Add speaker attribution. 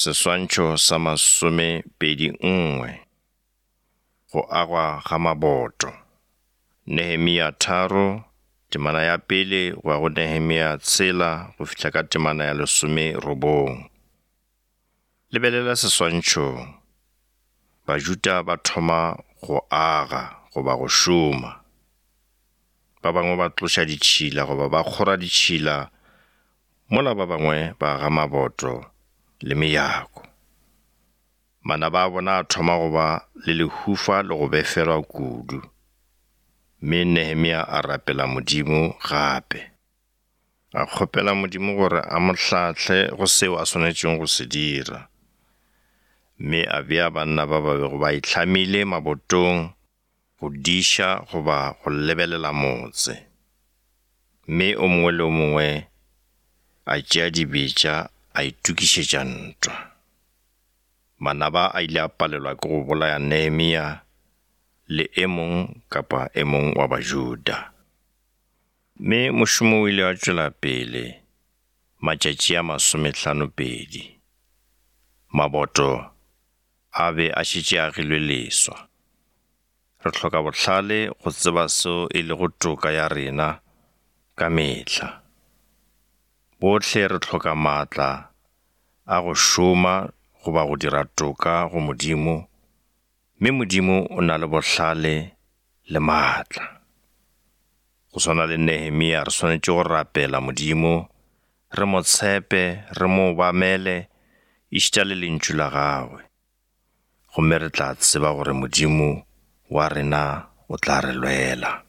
Speaker 1: Seswantšho sa 21. Go agwa ga maboto. Nehemia 3, temana ya pele go ya go Nehemia tshela go fihla ka temana ya 19. Lebelela seswantšhong. Bajuda ba thoma go aga goba go šoma. Ba bangwe ba tloša ditšhila goba ba kgora ditšhila mola ba bangwe ba aga maboto le mejako. Manaba a bona a thoma go ba le lehufa le go befelwa kudu, mme Nehemia a rapela Modimo gape. A kgopela Modimo gore a mo hlahle go seo a swanetšego go se dira, mme a bea banna ba ba bego ba itlhamile mabotong go diša goba go lebelela motse. Mme o mongwe le o mongwe a tšea dibetša a itokišetša ntwa. Manaba a ile a palelwa ke go bolaya Nehemia le e mong kapa e mong wa Bajuda. Mme mošomo o ile wa tšwela pele matšatši a masomehlanopedi. Maboto a be a šetše a agilwe leswa. Re hloka bohlale go tseba seo e lego toka ya rena ka mehla. Bohle re hloka maatla a go šoma goba go dira toka go Modimo, mme Modimo o na le bohlale le maatla. Go swana le Nehemia re swanetše go rapela Modimo re mo tshepe, re mo obamele, ešita le lentšu la gagwe, gomme re tla tseba gore Modimo wa rena o tla re lwela.